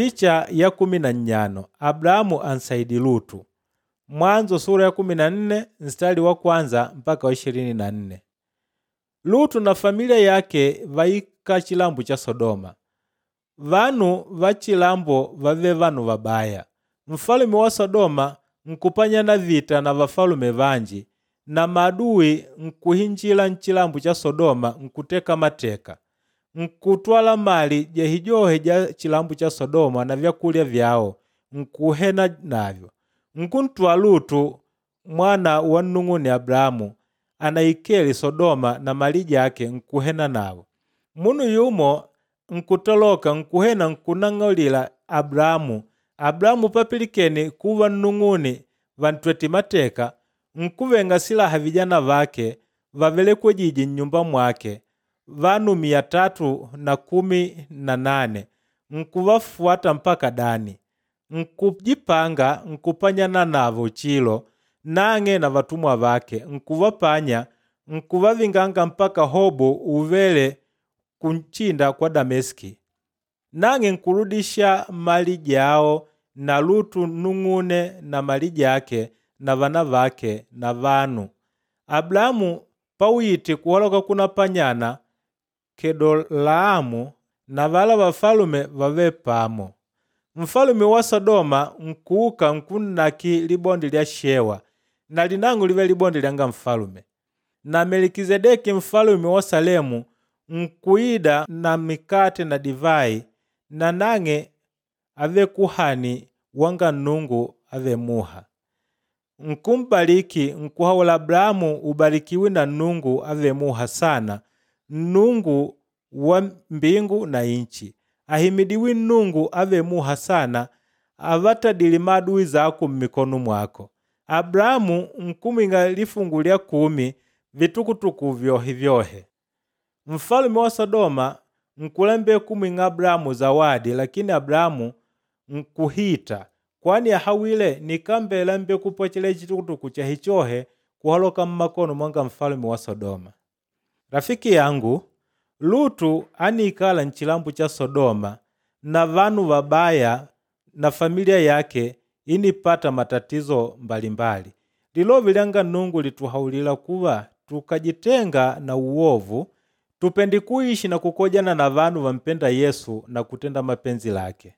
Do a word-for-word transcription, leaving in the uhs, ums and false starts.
Picha ya kumi na nnyano Abrahamu ansaidi Lutu. Mwanzo sura ya kumi na nne mstari wa kwanza mpaka wa ishirini na nne. Lutu na familia yake vaika chilambo cha Sodoma. Vanu va chilambo vave vanu vabaya. Mfalume wa Sodoma nkupanyana vita na vafalume vanji na maadui nkuhinjila nchilambo cha Sodoma nkuteka mateka. Nkutwala mali jehijohe ja chilambo cha Sodoma na vyakulya vyao nkuhena navyo. Nkuntwaa Lutu mwana wa nnung'une Abrahamu anaikele Sodoma na mali jake nkuhena nawo. Munu yumo nkutoloka nkuhena nkunang'aulila Abrahamu. Abrahamu papilikene kuva nnung'une vantwete mateka nkuvenga silaha vijana vake vavelekwejije nnyumba mwake vanu mia tatu na kumi na nane nkuvafuata mpaka Dani. Nkujipanga nkupanyana navo chilo nang'e na vatumwa vake nkuvapanya nkuvavinganga mpaka Hobu uvele kunchinda kwa Dameski. Nang'e nkurudisha mali jao na Lutu nnung'une na mali jake na vana vake na vanu. Abrahamu pawite kuhaloka kunapanyana Kedolaamu na vala vafalume vave pamo. Mfalume wa Sodoma nkuuka nkunnaki libonde lya Shewa na linang'o live libonde lyanga mfalume. Na Melikizedeki mfalume wa Salemu nkuida na mikate na divai na nang'e ave kuhani wanga Nnungu ave muha. Nkumbaliki nkuhaula Abrahamu ubarikiwi na Nnungu ave muha sana, Nnungu wa mbingu na inchi. Ahimidiwi Nnungu ave muha sana avatadile maadui zako mmikono mwako. Abrahamu nkumwinga lifungu lya kumi vitukutuku vyohe vyohe. Mfalume wa Sodoma nkulembe kumwing'a Abrahamu zawadi lakini Abrahamu nkuhita kwani ahawile nikambela mbe kupwechela chitukutuku chahichohe kuhaloka mmakono mwanga mfalume wa Sodoma. Rafiki yangu Lutu anikala nchilambo cha Sodoma na vanu vabaya na familia yake inipata matatizo mbalimbali. Lilovi lyanga Nnungu lituhaulila kuva tukajitenga na uovu tupendi kuishi na kukojana na vanu vampenda Yesu na kutenda mapenzi lake.